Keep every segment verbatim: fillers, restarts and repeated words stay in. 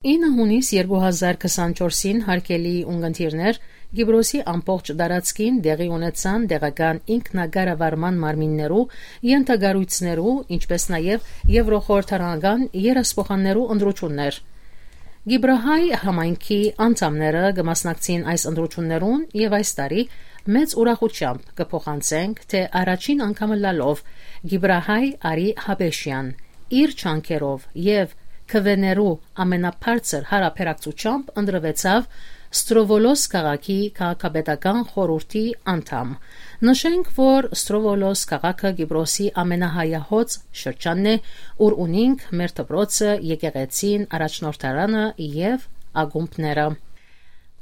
Ինը յունիս երկու հազար քսանչորսին, հարգելի ունգընտիրներ, Կիպրոսի ամբողջ տարածքին տեղի ունեցան տեղական ինքնակառավարման մարմիններու, ենթակառոյցներու, ինչպէս նաեւ եւրոխորհրդարանական երեսփոխաններու ընտրութիւններ։ Կիպրահայ համայնքի անդամները կը մասնակցին այս ընտրութիւններուն եւ այս տարի մեծ ուրախութեամբ կը փոխանցենք, թէ առաջին անգամ ըլլալով Կիպրահայ Արի Հապեշեան իր ջանքերով եւ քուեներու ամենաբարձր յարաբերակցութեամբ ընտրուեցաւ Ստրովոլոս քաղաքի քաղաքապետական խորհուրդի անդամ։ Նշենք, որ Ստրովոլոս քաղաքը Կիպրոսի ամենահայահոծ շրջանն է, ուր ունինք մեր դպրոցը, եկեղեցին, առաջնորդարանը եւ ակումբները։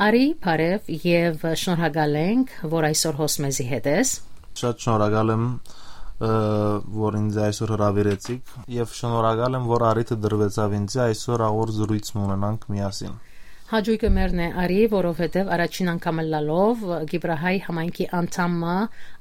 Արի, բարեւ եւ շնորհակալ ենք, որ այսօր հոս մեզի հետ ես։ Շատ շնորհակալ եմ, ը, որ ինձ այսօր հրավիրեցիք, եւ շնորհակալ եմ, որ առիթը տրուեցաւ ինձ այսօր աղոր զրոյց մը ունենանք միասին։ Հաճոյքը մերն է, Արի, որովհետեւ առաջին անգամ ըլլալով Կիպրահայ համայնքի անդամը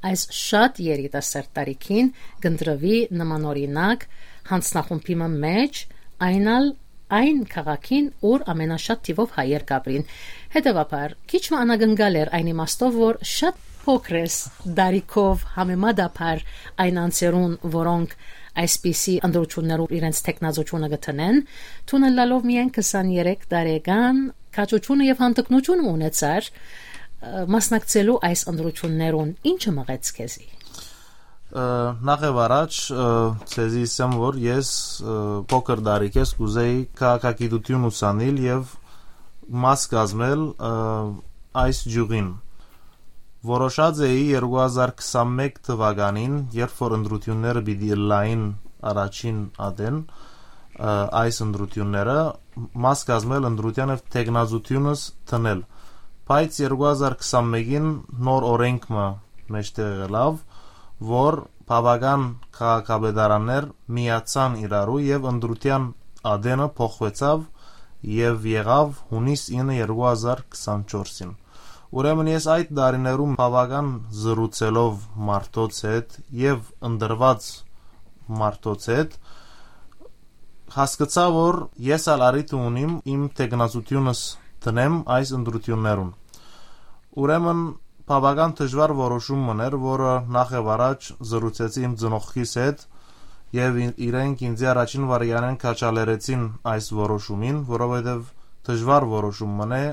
այս շատ երիտասարդ տարիքին կընտրուի նմանօրինակ յանձնախումբի մը մէջ, այն ալ այն քաղաքին, ուր ամենաշատ թիւով հայեր կապրին։ Հետեւաբար, քիչ մը անակնկալ էր այն իմաստով, որ շատ փոքր ես տարիքով համեմատաբար այն անձերուն, որոնք այսպիսի ընտրութիւններով իրենց թեկնածութիւնը կը դնեն, դուն ըլլալով միայն քսաներեք տարեկան, քաջութիւնը եւ հանդգնութիւնը ունեցար, ը, մասնակցելու այս ընտրութիւններուն, ի՞նչը մղեց քեզի։ Ը, նախ եւ առաջ, ը, ձեզի ասեմ, որ ես, ը, փոքր տարիքէս կ'ուզէի քաղաքագիտութիւն ուսանիլ եւ մաս կազմել, ը, այս ճիւղին։ Որոշած էի երկու հազար քսանմէկ թուականին, երբ որ ընտրութիւնները պիտի ըլլային առաջին ատեն, ը, այս ընտրութիւնները, մաս կազմել ընտրութեան եւ թեկնածութիւնս դնել։ Բայց երկու հազար քսանմէկին նոր օրենք մը մէջտեղ ելաւ, որ բաւական քաղաքապետարաններ միացան իրարու եւ ընտրութեան ատենը փոխուեցաւ եւ եղաւ յունիս ինը երկու հազար քսանչորսին։ Ուրեմն ես այդ տարիներուն բաւական զրուցելով մարդոց հետ եւ ընտրուած մարդոց հետ, հասկցայ, որ ես ալ առիթը ունիմ իմ թեկնածութիւնս դնեմ այս ընտրութիւններուն։ Ուրեմն բաւական դժուար որոշում մըն էր, որը նախ եւ առաջ զրուցեցի իմ ծնողքիս հետ եւ ին-, իրենք ինձի առաջին վարիանեն քաջալերեցին այս որոշումին, որովհետեւ դժուար որոշում մըն է,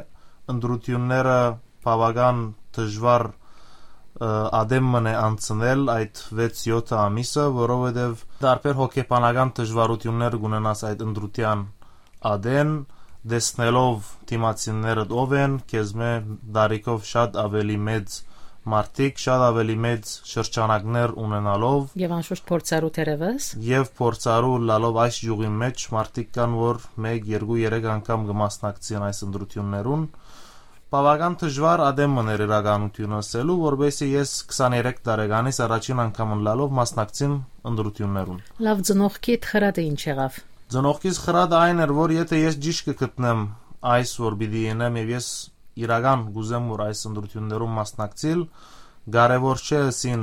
ընտրութիւնները բաւական դժուար, ը, ատեմ մըն է անցնել այդ վեց-յոթ ամիսը, որովհետեւ տարբեր հոգեբանական դժուարութիւններ կունենաս այդ ընտրութեան ատեն, տեսնելով դիմացիններդ ով են, քեզմէ տարիքով շատ աւելի մեծ մարդիկ, շատ աւելի մեծ շրջանակներ ունենալով։ Եւ անշուշտ փորձառու թերեւս։ Եւ փորձառու լալով այս ճիւղի մէջ մարդիկ կան, որ մեկ, երկու, երեք անգամ կը մասնակցին այս ընտրութիւններուն։ Բաւական դժուար ատեմ մըն էր իրականութիւնը ըսելու, որպեսզի ես քսաներեք տարեկանից առաջին անգամ ըլլալով մասնակցիմ ընտրութիւններուն։ Լաւ, ծնողքիդ խրատը ի՞նչ եղաւ։ Ծնողքիս խրատը այն էր, որ եթե ես ճիշդ կը գտնեմ այս, որ պիտի ինեմ, եւ ես իրական կ'ուզեմ, որ այս ընտրութիւններուն մասնակցիլ, կարեւոր չէ ըսին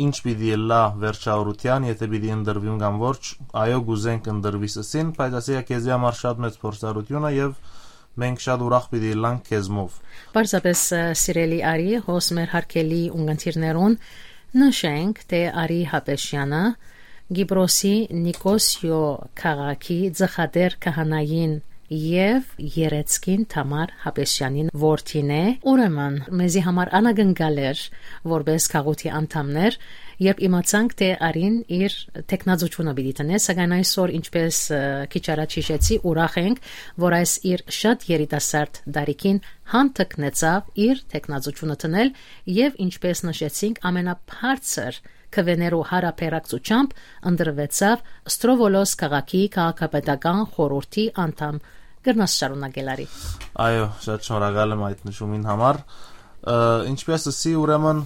ինչ պիտի ըլլայ վերջավորութեան, եթե պիտի ընտրուիմ կամ ոչ, այո, կ'ուզենք ընտրուիս ըսին, բայց ասիկա քեզի համար շատ մեծ փորձառութիւն է եւ մենք շատ ուրախ պիտի ըլլանք քեզմով։ Պարզապէս, ը, սիրելի Արի, հոս մեր հարգելի ունգընտիրներուն նշենք, թէ Արի Հապեշեանը Կիպրոսի Նիկոսիո քաղաքի ծխատեր քահանային եւ երեցկին Թամար Հապեշեանին որդին է։ Ուրեմն, մեզի համար անակնկալ էր, որպէս գաղութի անդամներ, երբ իմացանք, թէ Արին իր թեկնածութիւնը պիտի դնէ, սակայն այսօր, ինչպէս, ը, քիչ առաջ յիշեցի, ուրախ ենք, որ այս իր շատ երիտասարդ տարիքին հանդգնեցաւ իր թեկնածութիւնը դնել եւ, ինչպէս նշեցինք, ամենաբարձր քուեներու յարաբերակցութեամբ ընտրուեցաւ Ստրովոլոս քաղաքի քաղաքապետական խորհուրդի անդամ։ Կրնաս շարունակել, Արի։ Այո, շատ շնորհակալ եմ այդ նշումին համար։ Ը, ինչպես ըսի, ուրեմն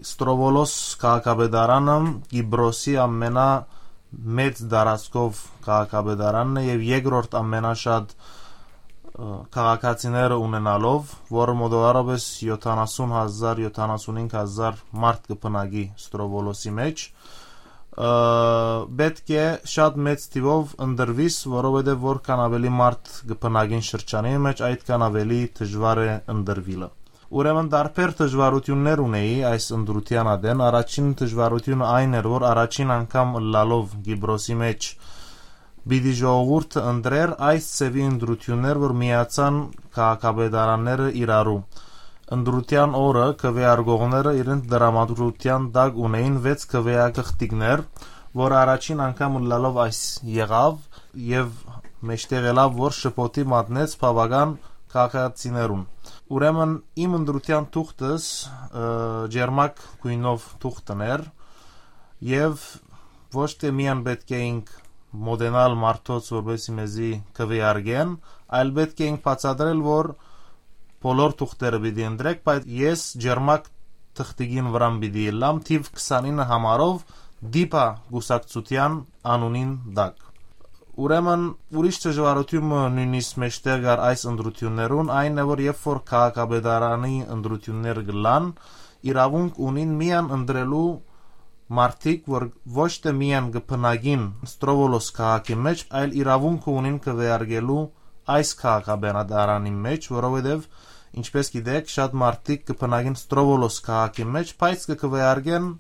Ստրովոլոս քաղաքապետարանը Կիպրոսի ամենամեծ տարածքով քաղաքապետարանն է եւ երկրորդ ամենաշատ, ը, քաղաքացիները ունենալով, որը մոտավորապես յոթանասուն հազար, յոթանասունհինգ հազար մարդ կը բնակի Ստրովոլոսի մեջ, Ը, պէտք է շատ մեծ թիւով ընտրուիս, որովհետեւ որքան աւելի մարդ կը բնակին շրջանի մէջ, այդքան աւելի դժուար է ընտրուիլը։ Ուրեմն տարբեր դժուարութիւններ ունէի այս ընտրութեան ատեն։ Առաջին դժուարութիւնը այն էր, որ առաջին անգամ ըլլալով Կիպրոսի մէջ պիտի ժողովուրդը ընտրէր, այս ձեւի ընտրութիւններ, որ միացան քաղաքապետարանները իրարու։ Ընտրութեան օրը քուէարկողները իրենց դրամատուրգիան տակ ունէին վեց քուէակղտիկներ, որ առաջին անգամ ըլլալով այս եղաւ եւ մէջտեղ ելաւ, որ շփոթի մատնեց բաւական քաղաքացիներուն։ Ուրեմն իմ ընտրութեան թուղթս, ը, ջերմակ գոյնով թուղթն էր եւ ոչ թէ միայն պէտք է ինք մոտենալ մարդոց, որպեսզի մեզի քուէարկեն, այլ պէտք է ինք բացատրել, որ բոլոր թուղթերը պիտի ընտրեք, բայց ես ջերմակ թղթիկին վրան պիտի ելլամ, թիվ քսանինը համարով դիպա կուսակցութեան անունին տակ։ Ուրեմն ուրիշ դժուարութիւն մը նոյնիսկ մէջտեղ կար այս ընտրութիւններուն, այն է, որ երբ որ քաղաքապետարանի ընտրութիւններ կ'ըլլան, իրաւունք ունին միայն ընտրելու մարդիկ, որ ոչ թէ միայն կը բնակին Ստրովոլոս քաղաքի մէջ, այլ իրաւունքը ունին քուէարկելու այս քաղաքապետարանի մէջ, որովհետեւ, ինչպէս գիտեք, շատ մարդիկ կը բնակին Ստրովոլոս քաղաքի մէջ, բայց կը քուէարկեն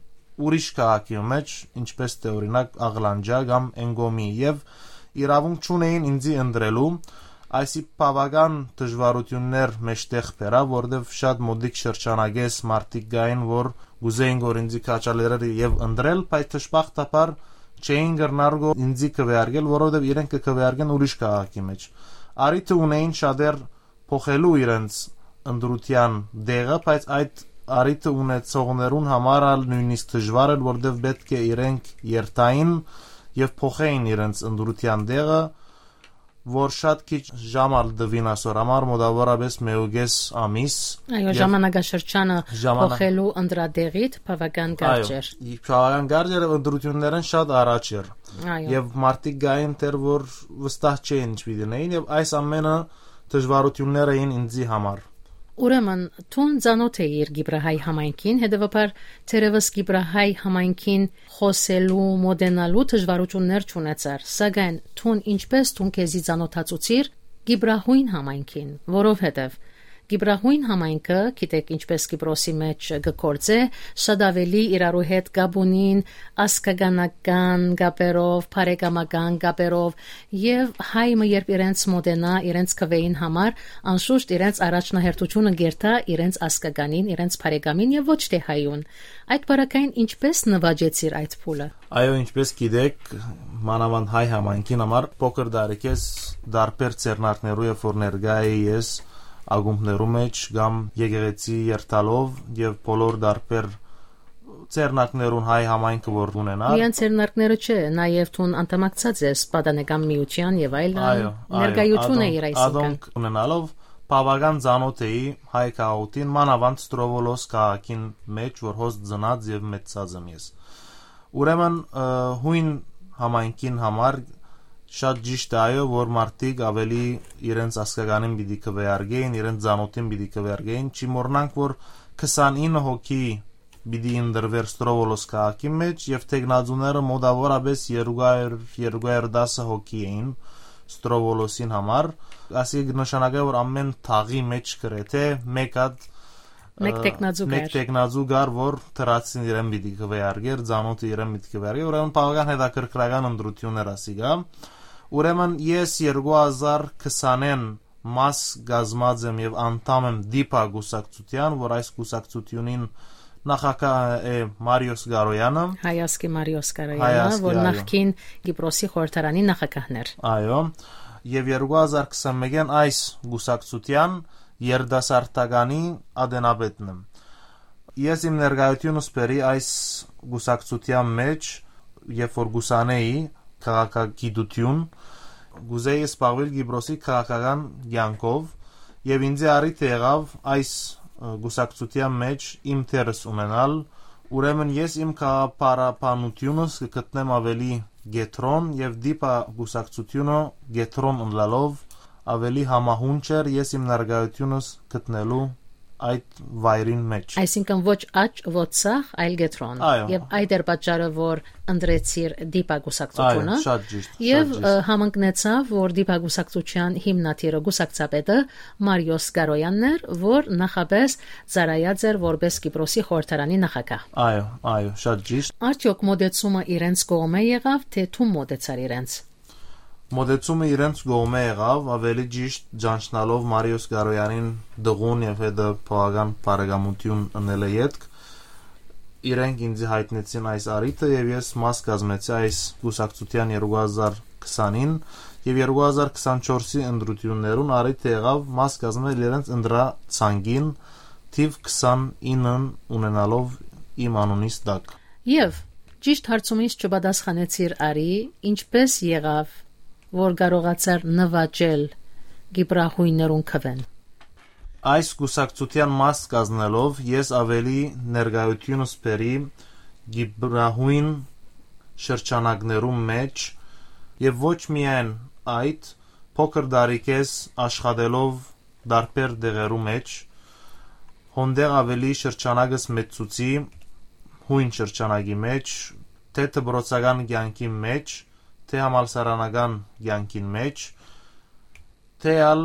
ուրիշ քաղաքի մէջ, ինչպէս թէ օրինակ Աղլանջա կամ Էնկոմի, եւ իրաւունք չունէին ինձի ընտրելու, այսի բաւական դժուարութիւններ մէջտեղ բերաւ, որովհետեւ շատ մօտիկ շրջանակէս մարդիկ կային, որ կ'ուզէին, որ ինձի քաջալերել եւ ընտրել, բայց դժբախտաբար չէին կրնար գո ինձի քուէարկել, որովհետեւ իրենք կը քուէարկեն ուրիշ քաղաքի մէջ։ Առիթը ունէին շատեր փոխելու իրենց ընտրութեան դեղը, բայց այդ առիթը ունեցողներուն համար ալ նոյնիսկ դժուար էր, որովհետեւ պէտք է իրենք երթային եւ փոխեին իրենց ընտրութեան դեղը, որ շատ քիչ ժամ ալ տուին ասոր համար, մոտավորապես մէկ ու կէս ամիս։ Այո, եւ ժամանակաշրջանը ժամանակ փոխելու ընտրատեղիդ բաւական կարճ Այո, էր։ Բաւական կարճ էր, ընտրութիւններէն շատ առաջ էր։ Այո։ Եւ մարդիկ գային դեռ, որ վստահ չէին ինչ պիտի նեին, եւ այս ամենը դժուարութիւններ էին ինձի համար։ Ուրեմն, դուն ծանօթ էիր Կիպրահայ համայնքին, հետեւաբար, թերեւս Կիպրահայ համայնքին խօսելու, մոտենալու դժուարութիւններ չունեցար, սակայն դուն ինչպէս դուն քեզի ծանօթացուցիր Կիպրահոյն համայնքին, որովհետեւ Կիպրահոյն համայնքը, գիտեք, ինչպէս Կիպրոսի մէջ կը գործէ, շատ աւելի իրարու հետ կապ ունին ազգականական կապերով, բարեկամական կապերով, եւ հայ մը երբ իրենց մոտենայ, իրենց քուէին համար, անշուշտ իրենց առաջնահերթութիւնը կերթայ իրենց ազգականին, իրենց բարեկամին եւ ոչ թէ հայուն։ Այդ պարագային ինչպէս նուաճեցիր այդ փուլը։ Այո, ինչպէս գիտեք, մանաւանդ հայ համայնքին համար փոքր տարիքէս տարբեր ձեռնարկներու, երբ որ ներկայ էի ես ակումբներու մէջ կամ եկեղեցի երթալով եւ բոլոր տարբեր ձեռնարկներուն հայ համայնքը որ ունենար։ Միայն ձեռնարկները չէ, նաեւ դուն անդամակցած ես պատանեկան միութեան եւ այլն, Այո, այո, ներկայություն ադոնք, էիր այսինքն։ Ադոնք ունենալով բաւական ծանօթ էի հայ քաղաքին, մանաւանդ Ստրովոլոս քաղաքին մէջ, որ հոս ծնած եւ մեծացած եմ ես։ Ուրեմն, ը, հոյն համայնքին համար շատ ճիշդ է, այո, որ մարդիկ աւելի իրենց ազգականին պիտի քուէարկեին, իրենց ծանօթին պիտի քուէարկեին, չի մոռնանք, որ քսանինը հոգի պիտի ընտրուէր Ստրովոլոս քաղաքի մէջ եւ թեկնածուները մոտավորապես երկու հարյուր, երկու հարյուր տասը հոգի էին Ստրովոլոսին համար, ասի կը նշանակէ, որ ամէն թաղի մէջ գրեթէ մէկ հատ, Մէկ ը, թեկնածու մէկ կար։ Թեկնածու կար, որ դրացին իրեն պիտի քուէարկեր, ծանօթը իրեն պիտի քուէարկեր, ուրեմն բաւական հետաքրքրական ընտրութիւններ ասիկա։ Ուրեմն ես երկու հազար քսանին մաս կազմած եմ եւ անդամ եմ դիպա կուսակցութեան, որ այս կուսակցութիւնին նախագահ է Մարիոս Գարոյանը։ Հայ ազգի Մարիոս Գարոյանը, Հայ ազգի, որ այո։ Նախկին Կիպրոսի խորհրդարանի նախագահն էր։ Այո, եւ երկու հազար քսանմէկին այս կուսակցութեան երիտասարդականի ատենապետն եմ։ Ես իմ ներկայությունս բերի այս կուսակցութեան մէջ, երբ որ կուսանեի քաղաքագիտութիւն, կուզեի զբաղվել Կիպրոսի քաղաքական կեանքով, եւ ինձ առիթ եղաւ այս, ը, կուսակցութեան մէջ իմ դերս ունենալ, ուրեմն ես իմ գաղափարաբանութիւնս կը գտնեմ աւելի կեդրոն, եւ դիպա կուսակցութիւնը կեդրոն ըլլալով աւելի համահունչ էր ես իմ ներկայությունս գտնելու այդ վայրին մէջ։ Այսինքն ոչ աջ, ոչ ցախ, այլ կեդրոն։ Այո։ Եւ այդ էր պատճառը, որ ընտրեցիր դիպակուսակցությունը։ Այո, շատ ճիշտ, Եւ շատ ճիշտ։ Ը, համընկնեցաւ, որ դիպակուսակցության հիմնադիրը, կուսակցապետը Մարիոս Կարոյանն էր, որ նախապես ծառայած էր որպես Կիպրոսի խորհրդարանի նախագահ։ Այո, այո, շատ ճիշտ։ Արդյոք մոտեցումը իրենց կողմէ եղաւ, թէ դու մոտեցար իրենց։ Մոտեցումը իրենց կողմէ եղաւ, ավելի ճիշտ ճանչնալով Մարիոս Կարոյանին դղուն եւ հետը բաւական բարեկամութիւն ընելը ետք, իրենք ինձի յայտնեցին այս առիթը եւ ես մաս կազմեցի այս կուսակցութեան երկու հազար քսանին եւ երկու հազար քսանչորսի ընտրութիւններուն առիթը եղաւ մաս կազմել իրենց ընտրացանկին թիվ քսանինը ունենալով իմ անունիս տակ։ Եւ ճիշտ հարցումից չպատասխանեցիր արի, ինչպէս եղաւ, որ կարողացար նուաճել կիպրահոյներուն քուէն։ Այս կուսակցութեան մաս կազմելով ես ավելի ներկայութիւնս բերի կիպրահոյն շրջանակներուն մէջ եւ ոչ միայն այդ, փոքր տարիքէս աշխատելով տարբեր տեղերու մէջ, հոնդեղ ավելի շրջանակս մեծցուցի հոյն շրջանակի մէջ, թէ դպրոցական կեանքի մէջ, թէ համալսարանական կեանքին մէջ, թէ ալ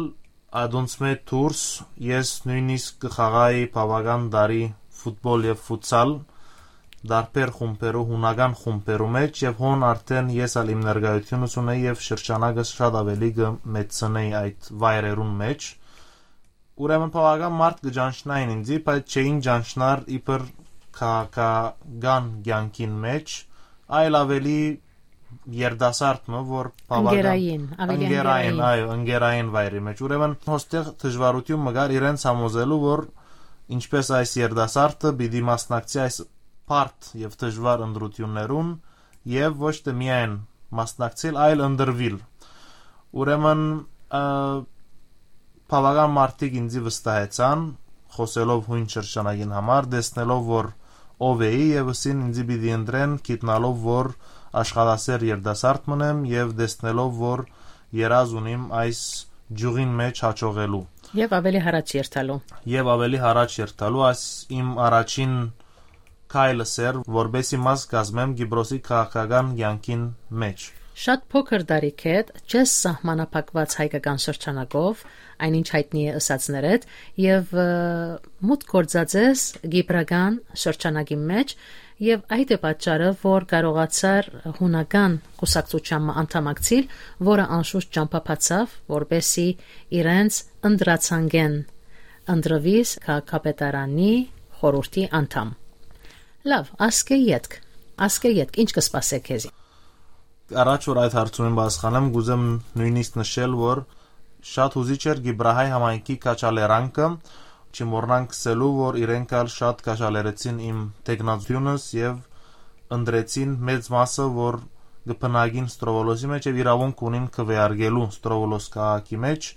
ադոնցմէ դուրս ես նոյնիսկ կը խաղայի բաւական տարի ֆուտբոլ եւ ֆուտսալ, տարբեր խումբերու, հունական խումբերու մէջ եւ հոն արդէն ես ալ իմ ներկայութիւնս ունեի եւ շրջանակս շատ ավելի կը մեծցնեի այդ վայրերուն մէջ։ Ուրեմն բաւական մարդ կը ճանչնային ինձի, բայց չէին ճանչնար իբր քաղաքական կեանքին մէջ, այլ ավելի երիտասարդ մը, որ բաւական Ընկերային, ավելի ընկերային, ընկերային։ Այո, ընկերային վայրի մէջ։ Ուրեմն հոստեղ դժվարութիւն մը կար իրենց համոզելու, որ ինչպես այս երիտասարդը պիտի մասնակցի այս բարդ եւ դժվար ընտրութիւններուն եւ ոչ թէ միայն մասնակցիլ, այլ ընտրուիլ։ Ուրեմն, ը, բաւական մարդիկ ինձի վստահեցան, խօսելով հոյն շրջանագին համար, տեսնելով, որ ով էի, եւ ըսին ինձի պիտի ընտրեն, գիտնալով, որ աշխատասեր երիտասարդ մըն եմ, եւ տեսնելով, որ երազ ունիմ այս ճիւղին մէջ յաջողելու։ Եւ ավելի յառաջ երթալու։ Եւ ավելի յառաջ երթալու, այս իմ առաջին քայլս էր, որպեսզի մաս կազմեմ Կիպրոսի քաղաքական կեանքին մէջ։ Շատ փոքր տարիքէդ չես սահմանափակուած հայկական շրջանակով, այնինչ յայտնի է ըսածներդ, եւ, ը, մուտք գործած ես կիպրական շրջանակի մէջ, եւ այդ է պատճառը, որ կարողացար հունական կուսակցութեան մը անդամակցիլ, որը անշուշտ ճամբայ բացաւ, որպեսզի իրենց ընտրացանկէն ընտրուիս քաղաքապետարանի խորհուրդի անդամ։ Լաւ, ասկէ ետք, ասկէ ետք, ինչ կը սպասէ քեզի։ Առաջ որ այդ հարցումին պատասխանեմ, կուզեմ նոյնիսկ նշել, որ շատ յուզիչ էր Կիպրահայ համայնքի քաջալերանքը, չմոռնանք ըսելու, որ իրենք ալ շատ քաջալերեցին իմ թեկնածությունս եւ ընտրեցին մեծ մասը, որ կը բնակին Ստրովոլոսի մէջ եւ իրաւունք ունին քուէարկելու Ստրովոլոս քաղաքի մէջ,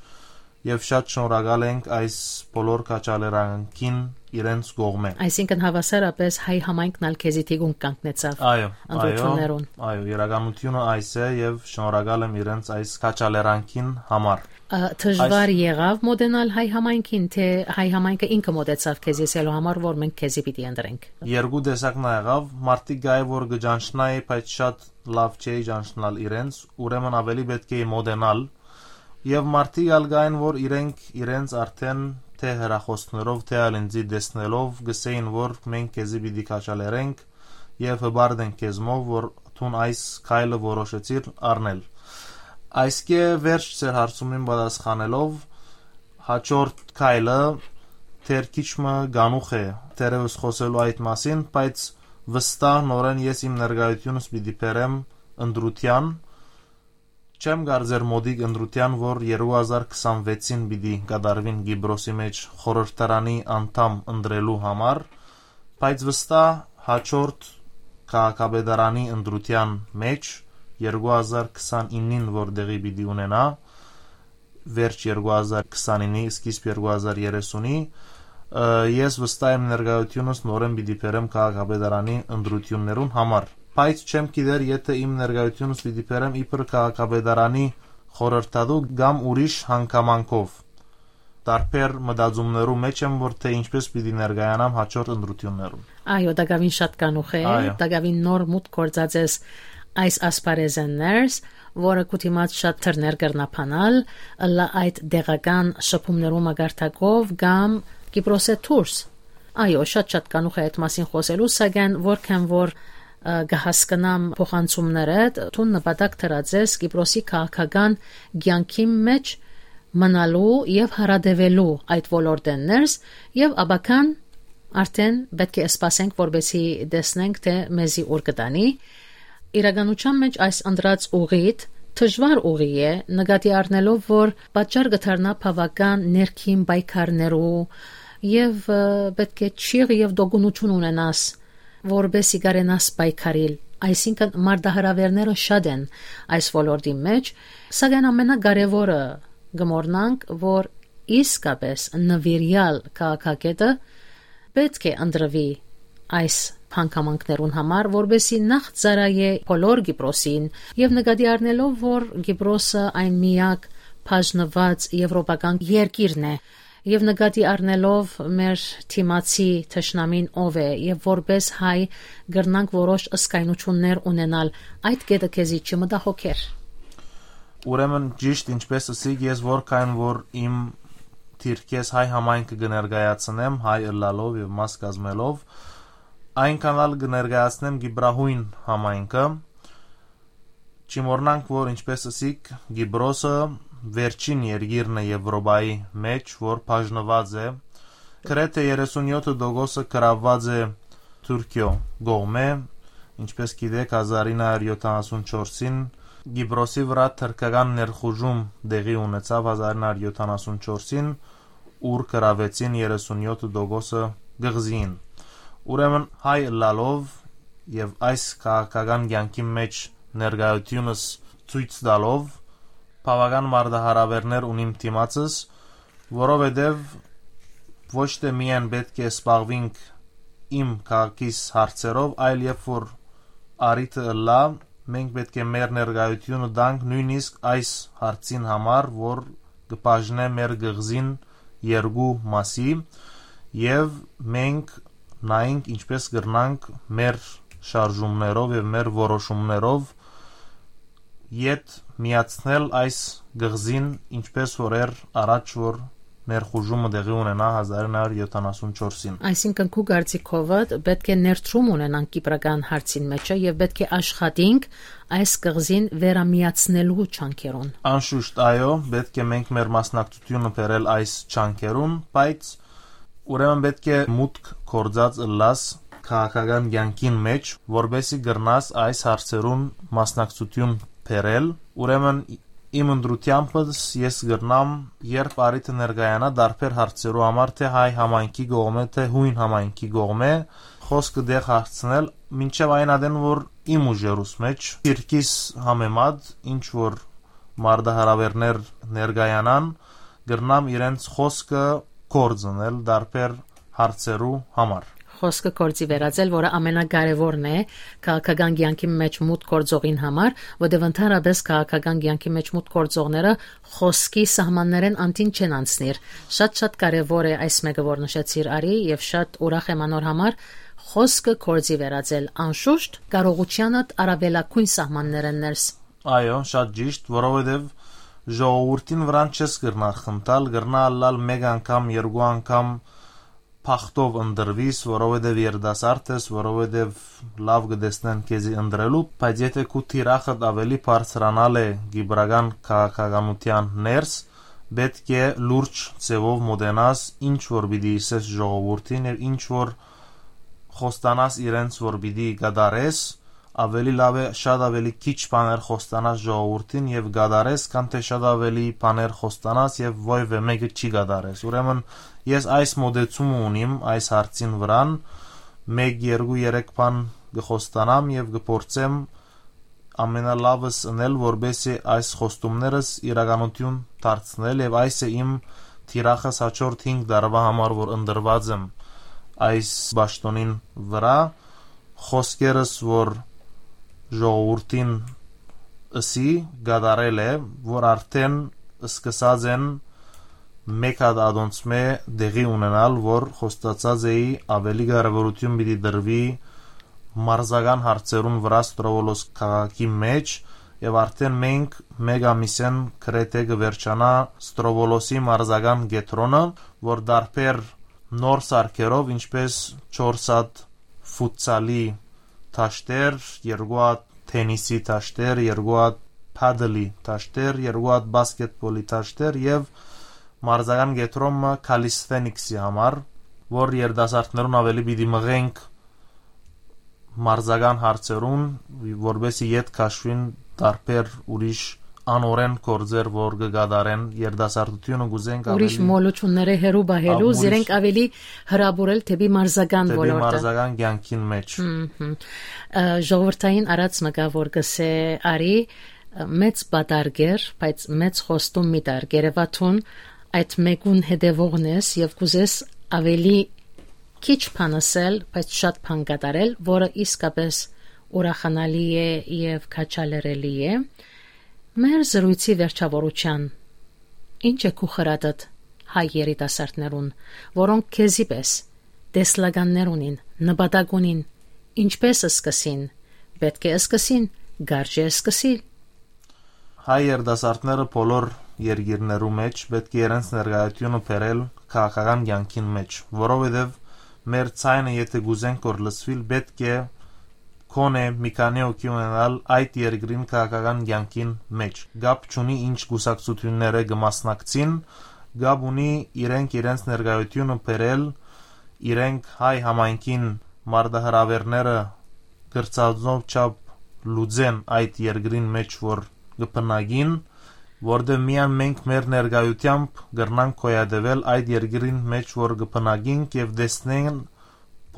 եւ շատ շնորհակալ ենք այս բոլոր քաջալերանքին իրենց կողմէ։ Այսինքն, հաւասարապէս հայ համայնքն ալ քեզի թիկունք կանգնեցաւ Այո, այո, ընտրութիւններուն։ Այո, իրականությունը այս է, եւ շնորհակալ եմ իրենց այս քաջալերանքին համար։ Ա, դժվար Այս եղաւ մոտենալ հայ համայնքին, թէ հայ համայնքը ինքը մոտեցաւ քեզի ըսելու համար, որ մենք քեզի պիտի ընտրենք։ Երկու տեսակն ա եղաւ, մարդիկ կայ որ կը ճանչնայի, բայց շատ լաւ չէի ճանչնալ իրենց, ուրեմն ավելի պէտք է մոտենալ, եւ մարդիկ ալ կային, որ իրենք իրենց արդեն թէ հեռախոսներով, թէ ալ ինձի տեսնելով, գսեին, որ մենք քեզի պիտի քաջալերենք եւ հպարտ ենք քեզմով, որ դուն այս քայլը որոշեցիր առնել։ Այսկէ վերջ ձեր հարցումին պատասխանելով, հաջորդ քայլը դեռ քիչ մը գանուխ է, դեռեւս խօսելու այդ մասին, բայց վստահ նորեն ես իմ ներկայությունս պիտի բերեմ ընտրութեան, չեմ կարծեր մոտիկ ընտրութեան, որ երկու հազար քսանվեցին պիտի կատարուին Կիպրոսի մէջ խորհրդարանի անդամ ընտրելու համար, բայց վստահ հաջորդ քաղաքապետարանի ընտրութեան մէջ երկու հազար քսանինին, որ տեղի պիտի ունենայ, վերջ երկու հազար քսանինի, սկիզբ երկու հազար երեսունի, ը, ես վստահ եմ ներկայությունս նորեն պիտի բերեմ քաղաքապետարանի ընտրութիւններուն համար, բայց չեմ գիտեր, եթէ իմ ներկայությունս պիտի բերեմ իբր քաղաքապետարանի խորհրդատու կամ ուրիշ հանգամանքով։ տարբեր մտածումներու մէջ եմ, որ թէ ինչպես պիտի ներկայանամ հաջորդ ընտրութիւններուն։ Այո, տակաւին շատ կանուխ է, այո, տակաւին նոր մուտք գործած ես այս ասպարեզէն ներս, որը քու դիմաց շատ դռներ կրնա բանալ, ըլլայ այդ տեղական շփումներու մակարդակով կամ Կիպրոսէ դուրս։ Այո, շատ-շատ կանուխ է այդ մասին խօսելու, սակայն որքան որ, ը, կը հասկնամ փոխանցումներդ, դուն նպատակ դրած ես Կիպրոսի քաղաքական կեանքի մէջ մնալու եւ հարատեւելու այդ ոլորտէն ներս, եւ ապագան արդեն պէտք է սպասենք, որպեսզի տեսնենք, թէ մեզի ուր կտանի։ Իրականության մէջ այս ընտրած ուղիդ դժուար ուղի է, նկատի առնելով, որ պատճառ կը դառնայ բաւական ներքին պայքարներու եւ, ը, պէտք է չիղ եւ տոկունութիւն ունենաս, որպեսզի կարենաս պայքարիլ, այսինքն՝ մարտահրաւէրները շատ են այս ոլորտի մէջ, սակայն ամենակարեւորը կը մոռնանք, որ իսկապէս նուիրեալ քաղաքագետը պէտք է ընտրուի այս հանգամանքներուն համար, որպեսզի նախ ծառայէ բոլոր Կիպրոսին, եւ նկատի առնելով, որ Կիպրոսը այն միակ բաժնուած եվրոպական երկիրն է, եւ նկատի առնելով մեր դիմացի թշնամին ով է եւ որպես հայ կրնանք որոշ զգայնություններ ունենալ, այդ կետը քեզի չի մտահոգեր։ Ուրեմն, ճիշտ ինչպես ըսիք, ես որքան որ իմ դիրքէս հայ համայնքը կը ներկայացնեմ, հայ ըլլալով եւ մաս կազմելով, այնքան ալ կը ներկայացնեմ կիպրահոյն համայնքը։ Չմոռնանք, որ, ինչպես ըսիք, Կիպրոսը վերջին երկիրն է Եվրոպայի մէջ, որ բաժնուած է, գրեթէ երեսունյոթ տոկոսը գրաւուած է Թուրքիոյ կողմէ, ինչպես գիտէք, հազար ինը հարիւր յոթանասուն չորսին Կիպրոսի վրայ թրքական ներխուժում տեղի ունեցաւ հազար ինը հարիւր յոթանասուն չորսին, ուր գրաւեցին երեսունյոթ տոկոսը կղզին։ Ուրեմն, հայ ըլլալով եւ այս քաղաքական կեանքի մէջ ներկայութիւնս ցոյց տալով, բաւական մարտահրաւէրներ ունիմ դիմացս, որովհետեւ ոչ թէ միայն պէտք է զբաղուինք իմ քաղաքիս հարցերով, այլ երբ որ առիթը ըլլայ, մենք պէտք է մեր ներկայութիւնը տանք նոյնիսկ այս հարցին համար, որ կը բաժնէ մեր կղզին երկու մասի, եւ մենք նայենք ինչպես կրնանք մեր շարժումներով եւ մեր որոշումներով ետ միացնել այս կղզին, ինչպես որ էր առաջ, որ ներխուժումը տեղի ունենայ հազար ինը հարիւր յոթանասուն չորսին։ Այսինքն, քու կարծիքովդ, պէտք է ներդրում ունենանք կիպրական հարցին մէջը եւ պէտք է աշխատենք այս կղզին վերամիացնելու ջանքերուն։ Անշուշտ, այո, պէտք է մենք մեր մասնակցությունը բերել այս ջանքերուն, բայց ուրեմն պէտք է մուտք գործած ըլլաս քաղաքական կեանքին մէջ, որպեսզի կրնաս այս հարցերուն մասնակցութիւն բերել։ Ուրեմն, իմ ընտրութեամբս ես կրնամ, երբ առիթը ներկայանայ, տարբեր հարցերու համար, թէ հայ համայնքի կողմէ, թէ յոյն համայնքի կողմէ, խօսքը տեղ հարցնել, մինչեւ այն ատեն, որ իմ ուժերուս մէջ, դիրքիս համեմատ, ինչ որ մարտահրաւէրներ ներկայանան, կրնամ իրենց խօսքը կորցնել տարբեր հարցերու համար։ Խօսքը կորցի վերածել, որը ամենակարևորն է քաղաքական կեանքի մէջ մուտք գործողին համար, որտեղ ընդհանրապես քաղաքական կեանքի մէջ մուտք գործողները խօսքի սահմաններէն անդին չեն անցնիր։ Շատ-շատ կարևոր է այս մէկը, որ նշեցիր, Արի, եւ շատ ուրախ եմ անոր համար։ Խօսքը կորցի վերածել, անշուշտ, կարողութեանդ առավելագոյն սահմաններէն ներս։ Այո, շատ ճիշտ, որովհետեւ ժողովուրդին վրան չես կրնար խնդալ, կրնա ըլլալ մէկ անգամ, երկու անգամ բախտով ընտրվիս, որովհետեւ երիտասարդ ես, որովհետեւ լաւ կը տեսնեն քեզի ընտրելու, բայց եթէ քու թիրախդ ավելի բարձրանալ է կիպրական քաղաքականութեան ներս, պէտք է լուրջ ձեւով մոտենաս, ինչ որ պիտի ըսես ժողովուրդին եւ ինչ որ խոստանաս իրենց, որ պիտի կատարես, ավելի լաւ է շատ ավելի քիչ բաներ խոստանաս ժողովուրդին եւ կատարես, քան թէ շատ ավելի բաներ խոստանաս եւ ոեւէ մէկը չի կատարես։ Ուրեմն, ես այս մոտեցումը ունիմ այս հարցին վրան, մէկ, երկու, երեք բան կը խոստանամ եւ կը փորձեմ ամենալավս ընել, որպեսզի այս խոստումներս իրականություն դարձնել, եւ այս է իմ թիրախս հաջորդ հինգ տարուայ համար, որ ընտրուած եմ այս պաշտօնին վրայ, խօսքերս, որ ժողովուրդին ըսի, կատարել է, որ արդեն սկսած են Մէկ հատ ատոնցմէ տեղի ունենալ, որ խոստացած էի, աւելի կարեւորութիւն պիտի տրուի մարզական հարցերուն վրայ Ստրովոլոս քաղաքի մէջ, եւ արդէն մենք մէկ ամիսէն գրեթէ կը վերջանայ Ստրովոլոսի մարզական կեդրոնը, որ տարբեր նոր սարքերով, ինչպէս չորս հատ ֆուտսալի դաշտեր, երկու հատ թենիսի դաշտեր, երկու հատ փադլի դաշտեր, երկու հատ բասկետբոլի դաշտեր եւ մարզական կեդրոն մը calisthenics-ի համար, որ երիտասարդներուն աւելի պիտի մղենք մարզական հարցերուն, որպեսզի ետ քաշուին տարբեր ուրիշ անօրէն գործեր, որ կը կատարեն երիտասարդութիւնը, կ'ուզենք ուրիշ աւելի մոլութիւնները հեռու պահելու, ա, ուրիշ զիրենք աւելի հրապուրել դէպի մարզական դէպի ոլորտը, մարզական կեանքին մէջ։ Մհմ։ Ը, ժողովրդային արած մը կայ, որ կ'ըսէ, Արի, ը, մեծ պատառ կեր, բայց մեծ խոստում մի տար, կ'երեւայ թուն այդ մէկուն հետեւողն ես եւ կ'ուզես աւելի քիչ բան ըսել, բայց շատ բան կատարել, որը իսկապես ուրախանալի է եւ քաջալերելի է։ Մեր զրոյցի վերջաւորութեան, ի՞նչ է քու խրատդ հայ երիտասարդներուն, որոնք քեզի պէս տեսլականներ ունին, նպատակ ունին, ինչպէս սկսին, պէտք է սկսին, կարճ է սկսիլ։ Հայ երիտասարդները բոլոր երկիրներու մէջ պէտք է իրենց ներկայութիւնը բերել քաղաքական կեանքին մէջ, որովհետեւ մեր ձայնը եթէ կ'ուզենք որ լսուիլ, պէտք է քոնէ մի քանի հոգի ունենալ այդ երկրին քաղաքական կեանքին մէջ։ Կապ չունի ինչ կուսակցութիւններէ կը մասնակցին, կապ ունի իրենք իրենց ներկայութիւնը բերել, իրենք հայ համայնքին մարտահրաւէրները կրցանով չափ լուծեն այդ երկրին մէջ որ կը բնակին, որտեղ միայն մենք մեր ներկայութեամբ կրնանք գոյատևել այդ երկրին մէջ որ կը բնակինք եւ տեսնեն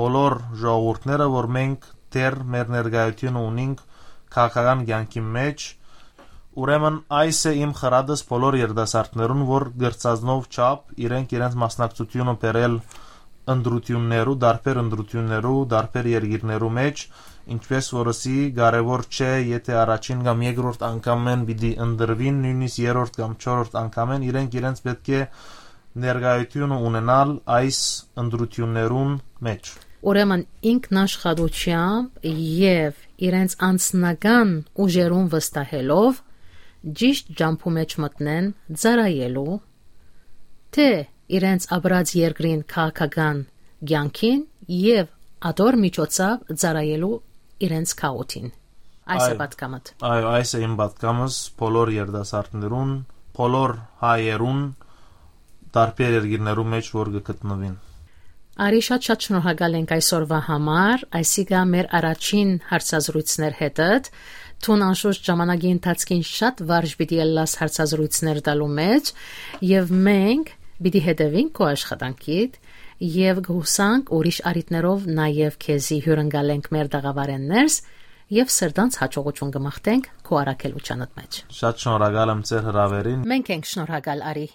բոլոր ժողովուրդները, որ մենք դեռ մեր ներկայութիւնը ունինք քաղաքական կեանքի մէջ։ Ուրեմն այս է իմ խրատս բոլոր երիտասարդներուն, որ կրցանով չափ իրենք իրենց մասնակցութիւնը բերել ընտրութիւններու, տարբեր ընտրութիւններու, տարբեր երկիրներու մէջ, ինչպէս որ ըսի, կարեւոր չէ, եթէ առաջին կամ երկրորդ անգամէն պիտի ընտրուին, նոյնիսկ երրորդ կամ չորրորդ անգամէն, իրենք իրենց պէտք է ներկայութիւնը ունենալ այս ընտրութիւններուն մէջ։ Ուրեմն ինքնաշխատութեամբ եւ իրենց անձնական ուժերուն վստահելով ճիշտ ճամբու մէջ մտնեն ծառայելու, թէ իրենց ապրած երկրին քաղաքական կեանքին եւ ատոր միջոցաւ ծառայելու իրենց քաղաքին։ Այս է Այո։ պատկամդ։ Այո, այս է իմ պատկամս բոլոր երիտասարդներուն, բոլոր հայերուն, տարբեր երկիրներու մէջ որ կը գտնուին։ Արի, շատ շատ շնորհակալ ենք այսօրվա համար, այսինքն մեր առաջին հարցազրույցներ հետդ։ Դուն անշուշտ ժամանակի ընթացքին շատ վարժ պիտի ելլաս հարցազրույցներ տալու մէջ, եւ մենք պիտի հետեւենք քո աշխատանքիդ եւ կհուսանք ուրիշ առիթներով նաեւ քեզի հիւրընկալենք մեր տաղավարէն ներս եւ սրտանց յաջողութիւն կը մաղթենք քո առաքելութեանդ մէջ։ Շատ շնորհակալ եմ ձեր հրաւերին։ Մենք ենք շնորհակալ, Արի։